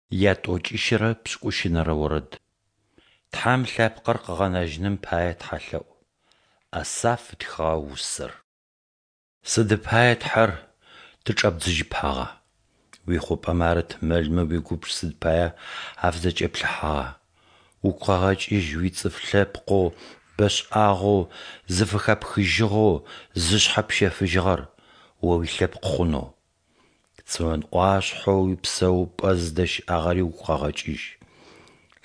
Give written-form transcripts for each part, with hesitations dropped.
Ятӏокӏищырэ пшӏыкӏущынэрэ орэд. Тхьэм лъэпкъыр къыгъэнэжьыным пае тхьэлъэӏу. Асаф ытхыгъэ усэр. Сыды пае, Тхьэр, тычӏэбдзыжьыпагъа? Уихъупӏэмэ арыт мэлмэ уигубж сыд пае афызэкӏэплъыхьагъа? Угу къэгъэкӏыжь уицӏыф лъэпкъэу бэшӏагъэу зыфыхэпхыжьыгъэу зышъхьэ пщэфыжьыгъэр О уилъэпкъ хъунэу. Цион ӏуашъхьэу уипсэупӏэ зыдэщыӏагъэри угу къэгъэкӏыжь.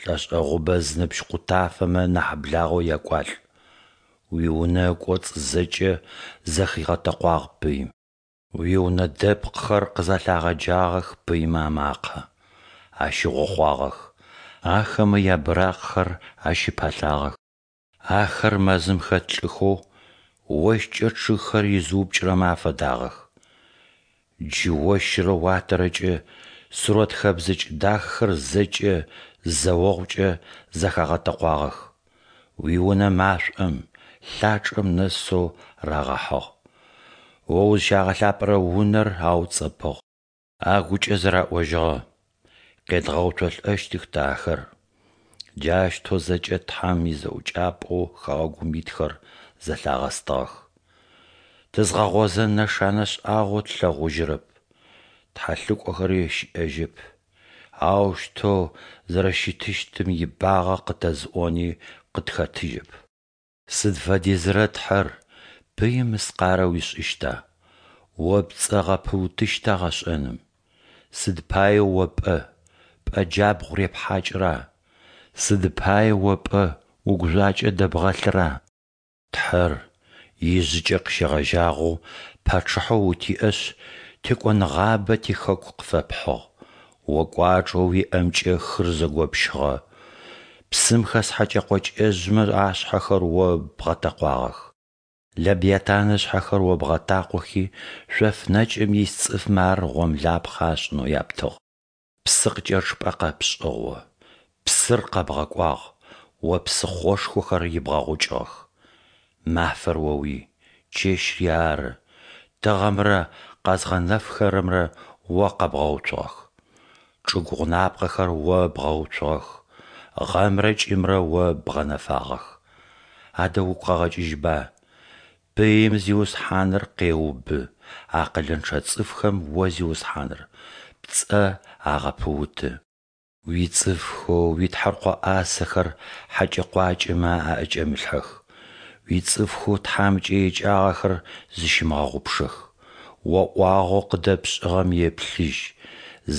Лӏэшӏэгъубэ зыныбжь къутафэмэ нахь благъэу якӏуалӏ. Уиунэ ыкӏоцӏ зэкӏэ зэхигъэтэкъуагъ пыим. Уиунэ дэпкъхэр къызэлъагъэджагъэх пыймэ амакъэ, ащыгъохъуагъэх, ахэмэ ябыракъхэр ащыпалъагъэх. Ахэр мэзым хэт лӏыхэу ощкӏэ чъыгхэр изыупкӏырэмэ афэдагъэх. Джы ощырэ уатэрэкӏэ сурэт хэбзыкӏ дахэхэр зэкӏэ зэ огъукӏэ зэхагъэтэкъуагъэх. Уиунэ машӏом, лъачӏэм нэсэу рагъэхьыгъ. О узыщагъэлъапӏэрэ Унэр ауцӏэпӏыгъ. Агукӏэ зэраӏожьыгъэ: «Къедгъэуцолӏэщтых тэ ахэр!» Джаущтэу зэкӏэ Тхьэм изэӏукӏапӏэу хэгъэгум итхэр зэлъагъэстыгъэх. Тызгъэгъозэн нэшанэ шӏагъо тлъэгъужьырэп, тхьэлӏыкӏохэри щыӏэжьэп, аущтэу зэрэщытыщтым ибагъэ къытэзыӏони къытхэтыжьэп. Сыд фэдизрэ, Тхьэр, пыим мыскъарэ уишӏыщта, О пцӏэ гъэпыутыщта гъэшӏэным? Сыд пае О пӏэ, пӏэ джабгъу репхьакӏыра? Сыд пае О пӏэ угужъуакӏэ дэбгъэлъыра? Тхьэр, ижъыкӏэ къыщегъэжьагъэу пачъыхьэу утиӏэшъ, текӏоныгъабэ тихэку къыфэпхьыгъ. О кӏуачӏэу уиӏэмкӏэ хыр зэгопщыгъэ, псым хэс хьэкӏэ-къокӏэжъмэ ашъхьэхэр О бгъэтэкъуагъэх. Лэбиатан ышъхьэхэр О бгъэтакъохи, шъоф нэкӏым ис цӏыфмэ ар гъомлапхъэ ашӏынэу яптыгъ. Псы къыкӏэчъыпӏэ къэпшӏыгъ О, псыр къэбгъэкӏуагъ, О псыхъошхохэр ибгъэгъукӏыгъэх. Мафэр оуий, чэщри ары, тыгъэмрэ къэзгъэнэфхэрэмрэ О къэбгъэуцугъэх. Чӏыгу гъунапкъэхэр О бгъэуцугъэх, гъэмрэ кӏымрэ О бгъэнэфагъэх. Адэ угу къэгъэкӏыжьба, пыим Зиусхьаныр къеубы, акъылынчъэ цӏыфхэм О Зиусхьаныр, пцӏэ агъэпыуты. Уицӏыфхэу уитхьэркъо ӏасэхэр хьэкӏэ-къуакӏэмэ аӏэкӏэмылъхьэх. Уицӏыфхэу тхьамыкӏэ икӏагъэхэр зыщымыгъэгъупшэх. О ӏуагъэу къыдэпшӏыгъэм еплъыжь,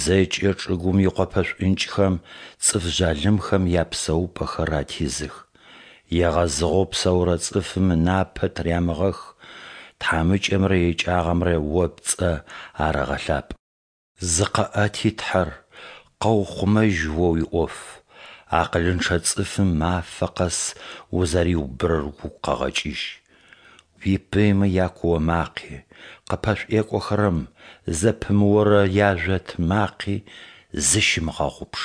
зэкӏэ чӏыгум икъопэ шӏункӏхэм цӏыф жъалымхэм япсэупӏэхэр атизых. Егъэзыгъэу псэурэ цӏыфым ынапэ тырямыгъэх, тхьамыкӏэмрэ икӏагъэмрэ О пцӏэ арэгъэлъапӏ. Зыкъэӏэти, Тхьэр, къэухъумэжь О уиӏоф, акъылынчъэ цӏыфым мафэ къэс узэриубырэр угу къэгъэкӏыжь. Уипыймэ якуо макъи, къыппэшӏуекӏохэрэм зэпымыорэ яжъот макъи зыщымыгъэгъупш.